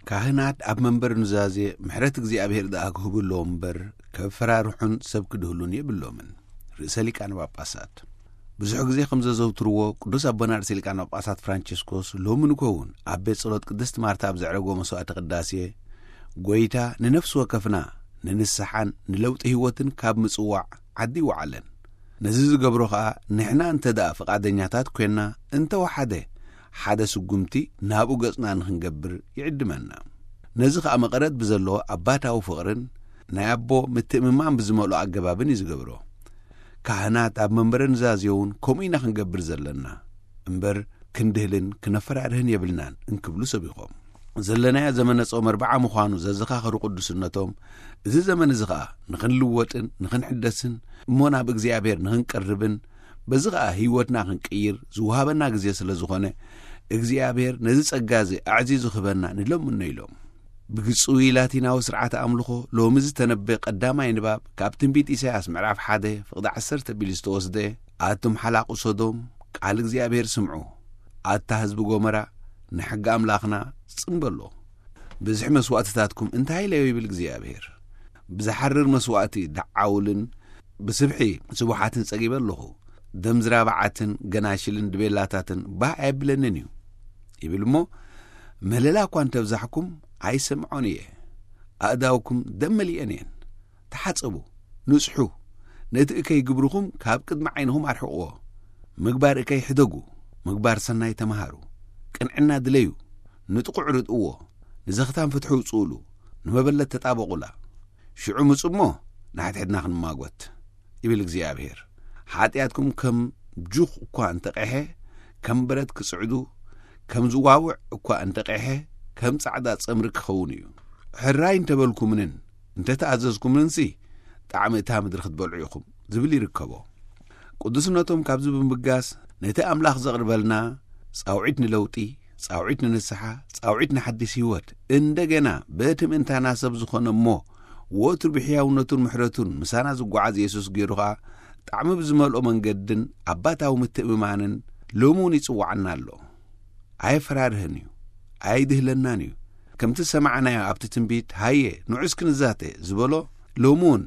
ካህናት ኣብ መንበር ኑዛዜ ምሕረት እግዚኣብሔር ደኣ ክህቡ ኣለዎም እምበር፣ ከፈራርሑን ሰብ ክድህሉን የብሎምን። ርእሰ ሊቃነ ጳጳሳት ብዙሕ ግዜ ከም ዘዘውትርዎ፣ ቅዱስ ኣቦና ርእሰ ሊቃነ ጳጳሳት ፍራንቸስኮስ ሎሚ ንኮውን ኣብ ቤት ጸሎት ቅድስት ማርታ ኣብ ዘዕረጎ መስዋዕቲ ቅዳሴ፣ ጎይታ ንነፍሲ ወከፍና ንንስሓን ንለውጢ ህይወትን ካብ ምጽዋዕ ዓዲ ይወዓለን። ነዚ ዝገብሮ ኸኣ ንሕና እንተ ደኣ ፍቓደኛታት ኮይና፣ እንተወሓደ ሓደ ስጉምቲ ናብኡ ገጽና ንኽንገብር ይዕድመና። ነዚ ኸኣ መቐረት ብዘለዎ ኣባታዊ ፍቕርን ናይ ኣቦ ምትእምማን ብዝመልኦ ኣገባብን እዩ ዝገብሮ። ካህናት ኣብ መንበረ ኑዛዜ እውን ከምኡ ኢና ክንገብር ዘለና እምበር፣ ክንድህልን ክነፈራርህን የብልናን እንክብሉ ሰቢኾም፣ ዘለናዮ ዘመነ ጾም ኣርብዓ ምዃኑ ዘዘኻኸሩ ቅዱስነቶም፣ እዚ ዘመን እዚ ኸኣ ንኽንልወጥን ንኽንሕደስን እሞ ናብ እግዚኣብሔር ንኽንቀርብን በዚ ኸኣ ህይወትና ክንቅይር ዝወሃበና ግዜ ስለ ዝኾነ፣ እግዚኣብሔር ነዚ ጸጋ እዚ ኣዕዚዙ ክህበና ንለምኖ ኢሎም። ብግጹይ ላቲናዊ ስርዓተ ኣምልኾ ሎሚ ዝተነበየ ቀዳማይ ንባብ ካብ ትንቢት ኢሳያስ ምዕራፍ ሓደ ፍቕዲ ዓሰርተ ቢሉ ዝተወስደ፣ ኣቱም ሓላቑ ሶዶም፣ ቃል እግዚኣብሔር ስምዑ፣ ኣታ ህዝቢ ጎመራ፣ ንሕጊ ኣምላኽና ጽምበሎ። ብዝሒ መስዋእትታትኩም እንታይ ኢለዮ ይብል እግዚኣብሔር። ብዝሓርር መስዋእቲ ደዓውልን ብስብሒ ስቡሓትን ጸጊበ ኣለኹ። ደም ዝራብዓትን ገናሽልን ድቤላታትን ባህ ኣየብለንን እዩ ይብል እሞ፣ ምህለላ እኳ እንተብዛሕኩም ኣይሰምዖን እየ። ኣእዳውኩም ደም መሊአን እየን። ተሓጸቡ፣ ንጽሑ፣ ነቲ እከይ ግብርኹም ካብ ቅድሚ ዓይንኹም ኣርሕቕዎ። ምግባር እከይ ሕደጉ፣ ምግባር ሰናይ ተመሃሩ። ቅንዕና ድለዩ፣ ንጥቑዕ ርድእዎ፣ ንዘኽታም ፍትሒ ውጽኡሉ፣ ንመበለት ተጣበቑላ። ሽዑ ምጹ እሞ ንሓድሕድና ክንማጎት፣ ይብል እግዚኣብሔር። ሓጢኣትኩም ከም ጁኽ እኳ እንተቐሐ፣ ከም በረድ ክጽዕዱ፣ ከም ዝዋውዕ እኳ እንተቐሐ፣ ከም ጻዕዳ ጸምሪ ክኸውን እዩ። ሕራይ እንተበልኩምንን እንተተኣዘዝኩምንሲ፣ ጣዕሚ እታ ምድሪ ክትበልዑ ኢኹም፣ ዝብል ይርከቦ። ቅዱስነቶም ካብዚ ብምብጋስ፣ ነቲ ኣምላኽ ዘቕርበልና ጻውዒት ንለውጢ፣ ጻውዒት ንንስሓ፣ ጻውዒት ንሓዲስ ህይወት፣ እንደገና በቲ ምእንታና ሰብ ዝኾነ እሞ፣ ወትሩ ብሕያውነቱን ምሕረቱን ምሳና ዝጓዓዝ የሱስ ገይሩ ኸኣ፣ ጣዕሚ ብዝመልኦ መንገድን ኣባታዊ ምትእምማንን ሎሚ እውን ይጽውዓና ኣሎ። ኣየፈራርህን እዩ፣ ኣይድህለናን እዩ። ከምቲ ዝሰማዕናዮ ኣብቲ ትንቢት፣ ሃየ፣ ንዑ እስኪ ንዛተ ዝበሎ፣ ሎሚ እውን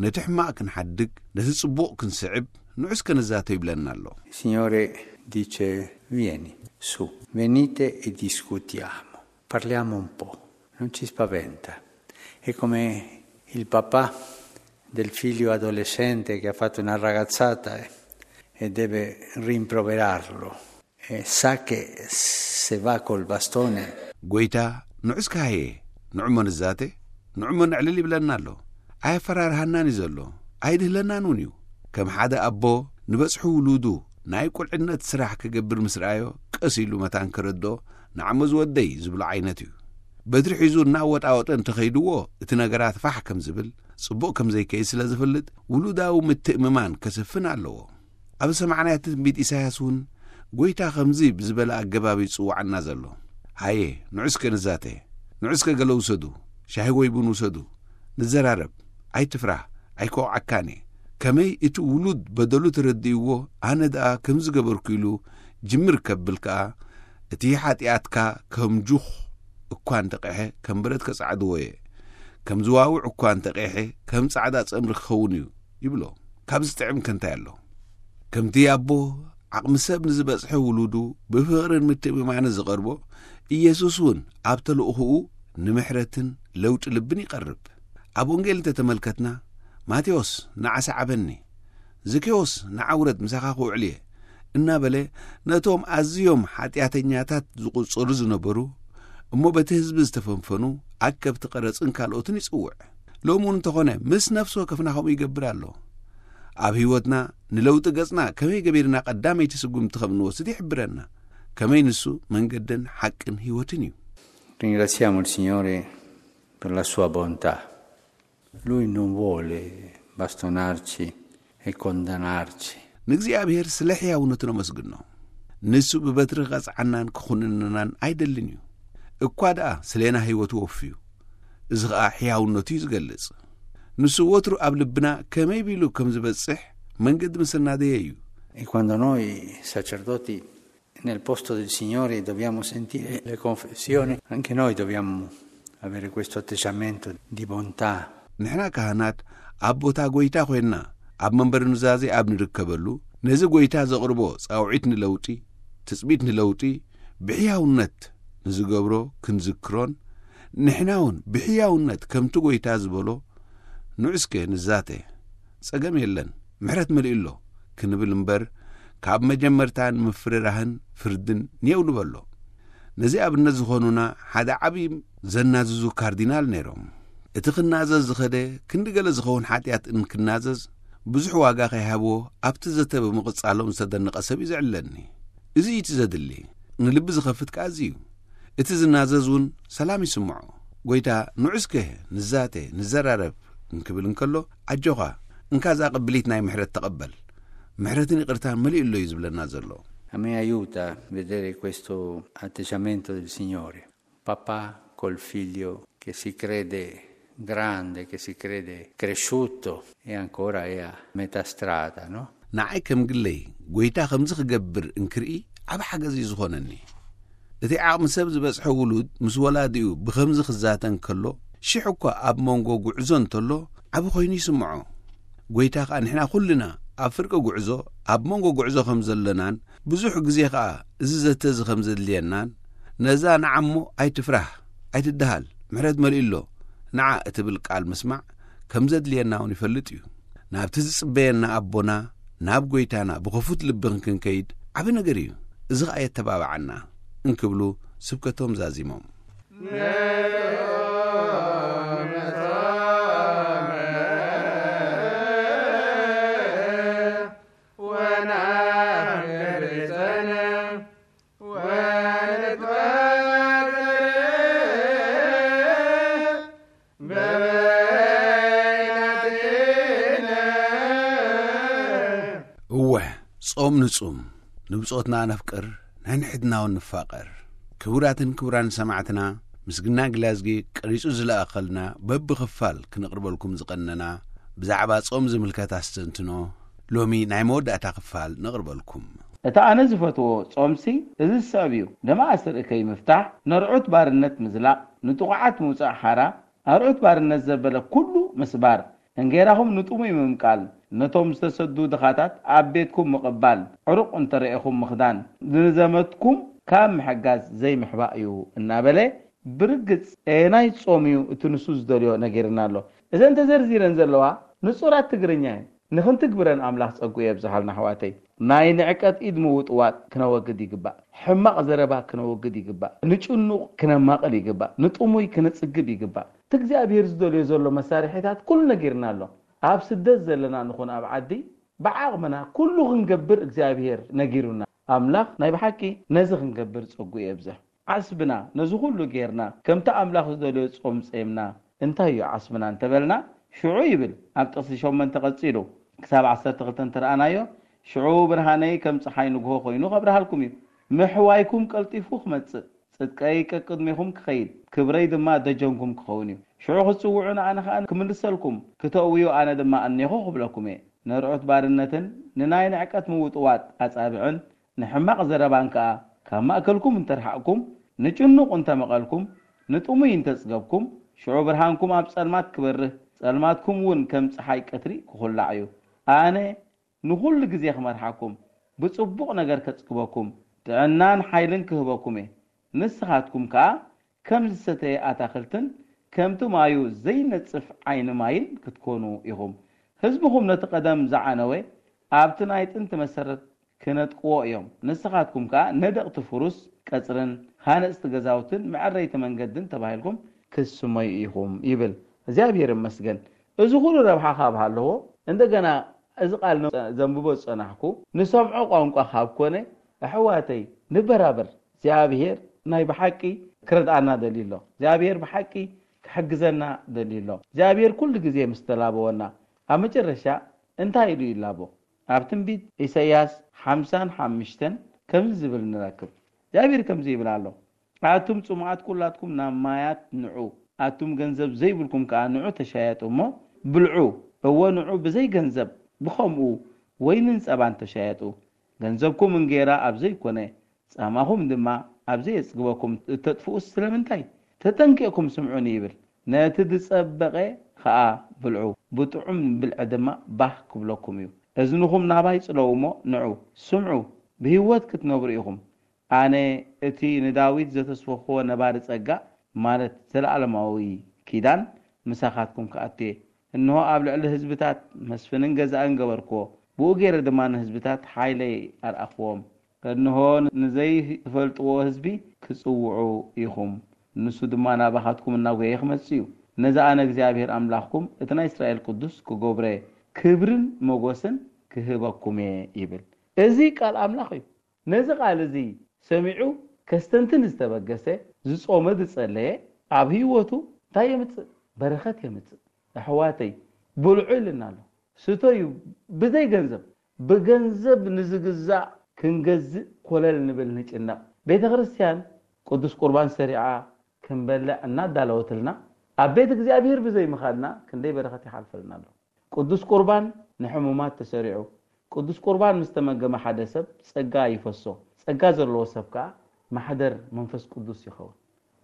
ነቲ ሕማቕ ክንሓድግ፣ ነቲ ጽቡቕ ክንስዕብ፣ ንዑ እስኪ ንዛተ ይብለና ኣሎ። Il Signore dice: "Vieni su, venite e discutiamo, parliamo un po', non ci spaventa." È come il papà del figlio adolescente che ha fatto una ragazzata e, e deve rimproverarlo. E sa che se va col bastone ጎይታ፣ ንዑ እስኪ ሃየ፣ ንዑ እሞ ንዛተ፣ ንዑ እሞ ነዕልል ይብለና ኣሎ። ኣየፈራርሃናን እዩ ዘሎ፣ ኣይድህለናን እውን እዩ። ከም ሓደ ኣቦ ንበጽሑ ውሉዱ ናይ ቁልዕነት ስራሕ ክገብር ምስ ረኣዮ፣ ቀስ ኢሉ መታን ከረድኦ፣ ንዓሞ ዝወደይ ዝብሎ ዓይነት እዩ። በትሪ ሒዙ እናወጣወጠ እንተኸይድዎ፣ እቲ ነገራት ፋሕ ከም ዝብል፣ ጽቡቕ ከም ዘይከይድ ስለ ዝፈልጥ፣ ውሉዳዊ ምትእምማን ከስፍን ኣለዎ። ኣብ ዝሰማዕናዮ ትንቢት ኢሳያስ እውን፣ ጎይታ ከምዚ ብዝበለ ኣገባብ እዩ ዝጽውዓና ዘሎ። ሃየ፣ ንዑ እስከ ንዛተ፣ ንዑ እስከ ገለ ውሰዱ፣ ሻሂ ወይ ቡን ውሰዱ፣ ንዘራረብ፣ ኣይትፍራህ፣ ኣይከውዓካን እየ። ከመይ እቲ ውሉድ በደሉ ተረዲእዎ፣ ኣነ ደኣ ከምዚ ገበርኩ ኢሉ ጅምር ከብል ከኣ፣ እቲ ሓጢኣትካ ከም ጁኽ እኳ እንተቐሐ፣ ከም በረድ ከጻዕድዎ እየ። ከም ዝዋውዕ እኳ እንተቐሐ፣ ከም ጻዕዳ ጸምሪ ክኸውን እዩ ይብሎ። ካብዚ ጥዕም ከ እንታይ ኣሎ? ከምቲ ኣቦ ዓቕሚ ሰብ ንዝበጽሐ ውሉዱ ብፍቕርን ምትእምማንን ዝቐርቦ፣ ኢየሱስ እውን ኣብ ተልእኾኡ ንምሕረትን ለውጢ ልብን ይቐርብ። ኣብ ወንጌል እንተተመልከትና፣ ማቴዎስ ንዓ ሰዓበኒ፣ ዘኬዎስ ንዓ ውረድ ምሳኻ ክውዕል እየ እናበለ ነቶም ኣዝዮም ሓጢኣተኛታት ዝቑጸሩ ዝነበሩ እሞ በቲ ህዝቢ ዝተፈንፈኑ ኣከብቲ ቀረጽን ካልኦትን ይጽውዕ። ሎሚ እውን እንተኾነ ምስ ነፍሲ ወከፍና ከምኡ ይገብር ኣሎ። ኣብ ህይወትና ንለውጢ ገጽና ከመይ ገቢርና ቀዳመይቲ ስጉምቲ ከም እንወስድ ይሕብረና። ከመይ ንሱ መንገድን ሓቅን ህይወትን እዩ። Ringraziamo il Signore per la sua bontà. Lui non vuole bastonarci e condannarci. ንእግዚኣብሔር ስለ ሕያውነቱ ነመስግኖ። ንሱ ብበትሪ ክቐጽዓናን ክኹንንናን ኣይደልን እዩ። እኳ ደኣ ስሌና ህይወቱ ወፍዩ። እዚ ኸኣ ሕያውነቱ እዩ ዝገልጽ። ንሱ ወትሩ ኣብ ልብና ከመይ ቢሉ ከም ዝበጽሕ መንገዲ ምስ ኣናደየ እዩ። E quando noi sacerdoti nel posto del Signore dobbiamo sentire le confessioni, anche noi dobbiamo Avere questo atteggiamento di bontà. ንሕና ካህናት ኣብ ቦታ ጎይታ ኮይንና ኣብ መንበሪ ኑዛዜ ኣብ ንርከበሉ፣ ነዚ ጎይታ ዘቕርቦ ጻውዒት ንለውጢ፣ ትጽቢት ንለውጢ ብሕያውነት ንዝገብሮ ክንዝክሮን፣ ንሕና እውን ብሕያውነት ከምቲ ጎይታ ዝበሎ፣ ንዑ እስከ ንዛተ፣ ጸገም የለን፣ ምሕረት መሊኡ ኣሎ ክንብል እምበር፣ ካብ መጀመርታ ንምፍርራህን ፍርድን ኔው ንበሎ። ነዚ ኣብነት ዝኾኑና ሓደ ዓብዪ ዘናዝዙ ካርዲናል ነይሮም። እቲ ክናዘዝ ዝኸደ ክንዲ ገለ ዝኸውን ሓጢኣት እንክናዘዝ ብዙሕ ዋጋ ከይሃብዎ ኣብቲ ዘተ ብምቕጻሎም ዝተደነቐ ሰብ እዩ ዝዕለኒ። እዚ እዩ እቲ ዘድሊ። ንልቢ ዝኸፍት ከኣ እዚ እዩ። እቲ ዝናዘዝ እውን ሰላም ይስምዖ። ጎይታ ንዑ እስከ ንዛተ ንዘራረብ እንክብል እንከሎ ኣጆኻ እንካ እዛ ቅብሊት ናይ ምሕረት ተቐበል። ምሕረትን ይቕርታን መሊኡ ኣሎ እዩ ዝብለና ዘሎ። A me aiuta vedere questo atteggiamento del Signore. Papà col figlio che si crede grande, che si crede cresciuto e ancora è a metà strada, no? ንዓይ ከም ግለይ ጎይታ ከምዚ ክገብር እንክርኢ ዓብ ሓገዝ እዩ ዝኾነኒ። እቲ ዓቕሚ ሰብ ዝበጽሐ ውሉድ ምስ ወላዲኡ ብኸምዚ ክዛተ እንከሎ ሽሕ እኳ ኣብ መንጎ ጉዕዞ እንተሎ ዓብ ኮይኑ ይስምዖ። ጎይታ ከኣ ንሕና ኩልና ኣብ ፍርቂ ጉዕዞ ኣብ መንጎ ጉዕዞ ከም ዘለናን ብዙሕ ግዜ ከኣ እዚ ዘተ እዚ ከም ዘድልየናን ነዛ ንዓሞ ኣይትፍራህ ኣይትደሃል ምሕረት መሊኡ ኣሎ ንዓ እትብል ቃል ምስማዕ ከም ዘድልየና እውን ይፈልጥ እዩ። ናብቲ ዝጽበየና ኣቦና ናብ ጎይታና ብኸፉት ልቢ ክንከይድ ዓቢ ነገር እዩ። እዚ ኸኣ የተባብዓና እንክብሉ ስብከቶም ዛዚሞም። እወ ጾም ንጹም፣ ንብጾትና ነፍቅር፣ ነንሕድናውን ንፋቐር። ክቡራትን ክቡራን ሰማዕትና፣ ምስግና ግላዝጊ ቀሪጹ ዝለኣኸልና በብኽፋል ክንቕርበልኩም ዝቐነና ብዛዕባ ጾም ዝምልከት ኣስተንትኖ ሎሚ ናይ መወዳእታ ክፋል ነቕርበልኩም። እቲ ኣነ ዝፈትዎ ጾምሲ እዚ ዝስዕብ እዩ። ደመ ኣስር እከይ ምፍታሕ፣ ነርዑት ባርነት ምዝላቕ፣ ንጥቑዓት ምውጻእ ሓራ፣ ኣርዑት ባርነት ዘበለ ኩሉ ምስባር፣ እንጌራኹም ንጥሙይ ምምቃል፣ ነቶም ዝተሰዱ ድኻታት ኣብ ቤትኩም ምቕባል፣ ዕሩቕ እንተ ረኤኹም ምኽዳን፣ ንዘመድኩም ካብ ምሕጋዝ ዘይምሕባእ እዩ እናበለ ብርግጽ ኣየናይ ጾም እዩ እቲ ንሱ ዝደልዮ ነጊርና ኣሎ። እዘን ተዘርዚረን ዘለዋ ንጹራት ትግርኛ እየን። ንኽንትግብረን ኣምላኽ ጸግኡ የብዝሓልና ኣሕዋተይ። ናይ ንዕቀት ኢድ ምውጥዋጥ ክነወግድ ይግባእ። ሕማቕ ዘረባ ክነወግድ ይግባእ። ንጭኑቕ ክነማቕል ይግባእ። ንጥሙይ ክነጽግብ ይግባእ። እቲ እግዚኣብሔር ዝደልዮ ዘሎ መሳርሒታት ኩሉ ነጊርና ኣሎ። ኣብ ስደት ዘለና ንኹን ኣብ ዓዲ ብዓቕምና ኩሉ ክንገብር እግዚኣብሔር ነጊሩና። ኣምላኽ ናይ ብሓቂ ነዚ ክንገብር ጸግኡ የብዝሕ። ዓስብና ነዚ ኩሉ ጌርና ከምቲ ኣምላኽ ዝደልዮ ጾም ጼምና እንታይ እዩ ዓስብና እንተበልና ሽዑ ይብል ኣብ ጥቕሲ ሸሞንተ ቀጺሉ ክሳብ ዓሰርተ ክልተ እንተረኣናዮ ሽዑ ብርሃነይ ከም ጸሓይ ንግሆ ኮይኑ ከብርሃልኩም እዩ ምሕዋይኩም ቀልጢፉ ክመጽእ ጽድቀይ ቀቅድሜኹም ክኸይድ ክብረይ ድማ ደጀንኩም ክኸውን እዩ ሽዑ ክትጽውዑን ኣነ ኸኣ ክምልሰልኩም ክተእውዩ ኣነ ድማ ኣኔኹ ክብለኩም እየ ነርዑት ባርነትን ንናይ ንዕቀት ምውጥዋጥ ኣጻብዕን ንሕማቕ ዘረባን ከኣ ካብ ማእከልኩም እንተ ርሓቕኩም፣ ንጭኑቕ እንተ መቐልኩም፣ ንጥሙይ እንተ ጽገብኩም፣ ሽዑ ብርሃንኩም ኣብ ጸልማት ክበርህ፣ ጸልማትኩም እውን ከም ጸሓይ ቀትሪ ክኹላዕ እዩ። ኣነ ንኹሉ ግዜ ክመርሓኩም፣ ብጽቡቕ ነገር ከጽግበኩም፣ ጥዕናን ሓይልን ክህበኩም እየ። ንስኻትኩም ከኣ ከም ዝሰተየ ኣታኽልትን ከምቲ ማዩ ዘይነጽፍ ዓይኒ ማይን ክትኮኑ ኢኹም። ህዝብኹም ነቲ ቀደም ዝዓነወ ኣብቲ ናይ ጥንቲ መሰረት ክነጥቅዎ እዮም። ንስኻትኩም ከኣ ነደቕቲ ፍሩስ ቀጽርን ሃነጽቲ ገዛውትን መዐረይቲ መንገድን ተባሂልኩም ክትስመዩ ኢኹም ይብል። እግዚኣብሔር ይመስገን። እዚ ኩሉ ረብሓ ካብ ሃለዎ እንደገና እዚ ቃል ዘንብቦ ዝጸናሕኩ ንሰምዖ ቋንቋ ካብ ኮነ ኣሕዋተይ ንበራበር እግዚኣብሔር ናይ ብሓቂ ክረድኣና ደልዩ ኣሎ እግዚኣብሔር ብሓቂ ክሕግዘና ደልዩ ኣሎ እግዚኣብሔር ኩሉ ግዜ ምስ ተላበወና ኣብ መጨረሻ እንታይ ኢሉ ይላቦ ኣብ ትንቢት ኢሳያስ ሓምሳን ሓሙሽተን ከምዚ ዝብል ንረክብ እግዚኣብሔር ከምዚ ይብል ኣሎ ኣቱም ጽሙኣት ኩላትኩም ናብ ማያት ንዑ ኣቱም ገንዘብ ዘይብልኩም ከኣ ንዑ ተሻየጡ እሞ ብልዑ እወ ንዑ ብዘይ ገንዘብ ብኸምኡ ወይንን ጸባን ተሻየጡ ገንዘብኩም እንጌራ ኣብ ዘይኮነ ጻማኹም ድማ ኣብ ዘየጽግበኩም እተጥፍኡስ ስለምንታይ ተጠንቂቕኩም ስምዑኒ ይብል። ነቲ ዝጸበቐ ኸኣ ብልዑ፣ ብጥዑም ብልዒ ድማ ባህ ክብለኩም እዩ። እዝንኹም ናባይ ጽለዉ እሞ ንዑ፣ ስምዑ፣ ብህይወት ክትነብሩ ኢኹም። ኣነ እቲ ንዳዊት ዘተስፈኽዎ ነባሪ ጸጋ፣ ማለት ዘለኣለማዊ ኪዳን፣ ምሳኻትኩም ክኣቱ እየ። እንሆ ኣብ ልዕሊ ህዝብታት መስፍንን ገዛእን ገበርክዎ፣ ብኡ ገይረ ድማ ንህዝብታት ሓይለይ ኣርኣኽዎም። እንሆ ንዘይትፈልጥዎ ህዝቢ ክጽውዑ ኢኹም፣ ንሱ ድማ ናባኻትኩም እናጎየ ክመጽእ እዩ። ነዚ ኣነ እግዚኣብሔር ኣምላኽኩም እቲ ናይ እስራኤል ቅዱስ ክገብሮ እየ፣ ክብርን መጎስን ክህበኩም እየ ይብል። እዚ ቃል ኣምላኽ እዩ። ነዚ ቃል እዚ ሰሚዑ ከስተንትን ዝተበገሰ፣ ዝጾመ ዝጸለየ፣ ኣብ ህይወቱ እንታይ የምጽእ? በረኸት የምጽእ። ኣሕዋተይ፣ ብልዑ ኢልና ኣሎ። ስተዩ ብዘይ ገንዘብ፣ ብገንዘብ ንዝግዛእ ክንገዝእ ኮለል ንብል ንጭነቕ። ቤተ ክርስቲያን ቅዱስ ቁርባን ሰሪዓ ክንበልዕ እናዳለወትልና፣ ኣብ ቤት እግዚኣብሔር ብዘይ ምኻድና ክንደይ በረኸት ይሓልፈልና ኣሎ። ቅዱስ ቁርባን ንሕሙማት ተሰሪዑ። ቅዱስ ቁርባን ምስ ተመገመ ሓደ ሰብ ጸጋ ይፈሶ። ጸጋ ዘለዎ ሰብ ከኣ ማሕደር መንፈስ ቅዱስ ይኸውን።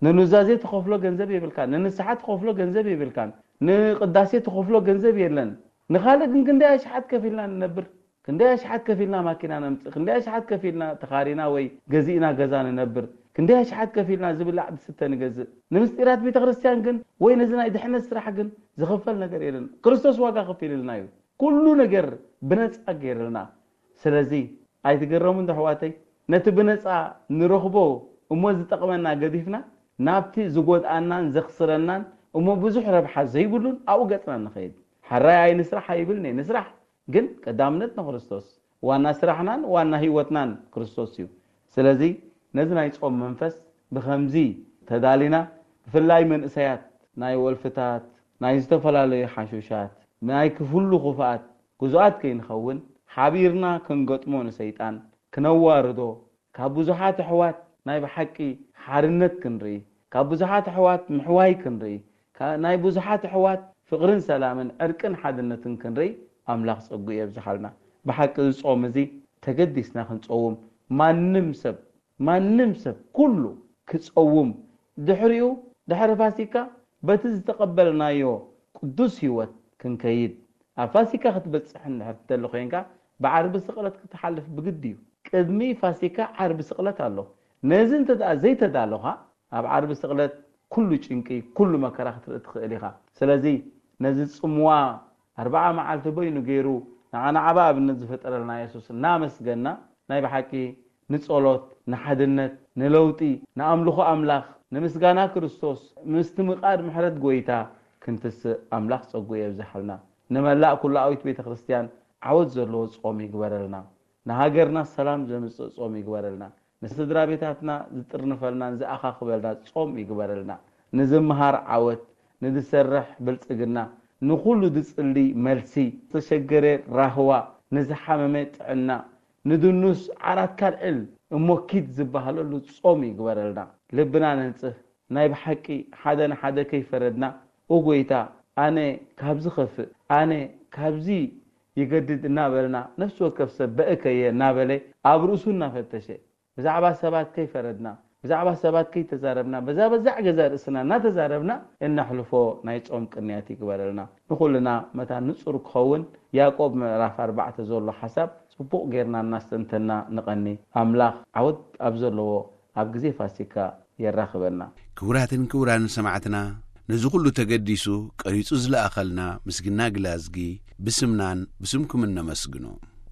ንኑዛዜ ትኸፍሎ ገንዘብ የብልካን፣ ንንስሓ ትኸፍሎ ገንዘብ የብልካን፣ ንቅዳሴ ትኸፍሎ ገንዘብ የለን። ንኻልእ ግን ክንደይ ኣሽሓት ከፊልና ንነብር፣ ክንደይ ኣሽሓት ከፊልና ማኪና ነምጽእ፣ ክንደይ ኣሽሓት ከፊልና ተኻሪና ወይ ገዚእና ገዛ ንነብር፣ ክንደይ ኣሽሓት ከፊልና ዝብላዕ ዝስተ ንገዝእ። ንምስጢራት ቤተ ክርስቲያን ግን ወይ ነዚ ናይ ድሕነት ስራሕ ግን ዝኽፈል ነገር የለን። ክርስቶስ ዋጋ ከፊልልና እዩ። ኩሉ ነገር ብነጻ ገይርልና። ስለዚ ኣይትገረሙ እንዶ ኣሕዋተይ፣ ነቲ ብነጻ ንረኽቦ እሞ ዝጠቕመና ገዲፍና ናብቲ ዝጎድኣናን ዘኽስረናን እሞ ብዙሕ ረብሓ ዘይብሉን ኣብኡ ገጽና ንኸይድ። ሕራይ ኣይንስራሕ ኣይብልን እየ፣ ንስራሕ፣ ግን ቀዳምነት ንክርስቶስ። ዋና ስራሕናን ዋና ህይወትናን ክርስቶስ እዩ። ስለዚ ነዚ ናይ ጾም መንፈስ ብኸምዚ ተዳሊና፣ ብፍላይ መንእሰያት ናይ ወልፍታት፣ ናይ ዝተፈላለዩ ሓሹሻት፣ ናይ ክፍሉ ክፍኣት ግዙኣት ከይንኸውን ሓቢርና ክንገጥሞ ንሰይጣን ክነዋርዶ፣ ካብ ብዙሓት ኣሕዋት ናይ ብሓቂ ሓርነት ክንርኢ፣ ካብ ብዙሓት ኣሕዋት ምሕዋይ ክንርኢ፣ ካ-፣ ናይ ብዙሓት ኣሕዋት ፍቕርን ሰላምን ዕርቅን ሓድነትን ክንርኢ ኣምላኽ ጸጉኡ የብዝሓልና። ብሓቂ እዚ ጾም እዚ ተገዲስና ክንጸውም ማንም ሰብ ማንም ሰብ ኩሉ ክጸውም፣ ድሕሪኡ ድሕሪ ፋሲካ በቲ ዝተቐበልናዮ ቅዱስ ህይወት ክንከይድ። ኣብ ፋሲካ ክትበጽሕ እንድሕር ትደሊ ኮይንካ ብዓርቢ ስቕለት ክትሓልፍ ብግዲ እዩ። ቅድሚ ፋሲካ ዓርቢ ስቕለት ኣሎ። ነዚ እንተ ደኣ ዘይተዳለኻ ኣብ ዓርቢ ስቕለት ኩሉ ጭንቂ ኩሉ መከራ ክትርኢ ትኽእል ኢኻ። ስለዚ ነዚ ጽምዋ ኣርብዓ መዓልቲ በይኑ ገይሩ ንዓና ዓቢ ኣብነት ዝፈጠረልና የሱስ እናመስገና ናይ ብሓቂ ንጸሎት፣ ንሓድነት፣ ንለውጢ፣ ንኣምልኾ ኣምላኽ፣ ንምስጋና ክርስቶስ፣ ምስትምቓድ ምሕረት ጎይታ ክንትስእ ኣምላኽ ጸጉኡ የብዝሓልና። ንመላእ ኩላዊት ቤተ ክርስቲያን ዓወት ዘለዎ ጾም ይግበረልና። ንሃገርና ሰላም ዘምጽእ ጾም ይግበረልና። ንስድራ ቤታትና ዝጥርንፈልናን ዝኣኻኽበልና ጾም ይግበረልና። ንዝምሃር ዓወት፣ ንዝሰርሕ ብልጽግና፣ ንኹሉ ዝጽሊ መልሲ፣ ዝተሸገረ ራህዋ፣ ንዝሓመመ ጥዕና፣ ንድኑስ ዓራት ካልዕል እሞ ኪድ ዝበሃለሉ ጾም ይግበረልና። ልብና ነንጽህ። ናይ ብሓቂ ሓደ ንሓደ ከይፈረድና፣ "ኦ ጎይታ፣ ኣነ ካብዚ ከፍእ፣ ኣነ ካብዚ ይገድድ" እናበልና፣ ነፍሲ ወከፍ ሰብ በእከየ እናበለ ኣብ ርእሱ እናፈተሸ፣ ብዛዕባ ሰባት ከይፈረድና፣ ብዛዕባ ሰባት ከይተዛረብና፣ በዛ በዛዕ ገዛ ርእስና እናተዛረብና እነሕልፎ ናይ ጾም ቅንያት ይግበረልና። ንኹልና መታን ንጹር ክኸውን ያዕቆብ ምዕራፍ ኣርባዕተ ዘሎ ሓሳብ ጽቡቕ ጌርና እናስተንተና ንቐኒ። ኣምላኽ ዓወት ኣብ ዘለዎ ኣብ ግዜ ፋሲካ የራኽበና። ክቡራትን ክቡራን ሰማዕትና፣ ነዚ ኩሉ ተገዲሱ ቀሪጹ ዝለኣኸልና ምስግና ግላዝጊ ብስምናን ብስምኩምን ነመስግኖ።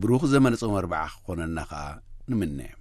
ብሩኽ ዘመነ ጾም ኣርብዓ ክኾነና ከኣ ንምነ።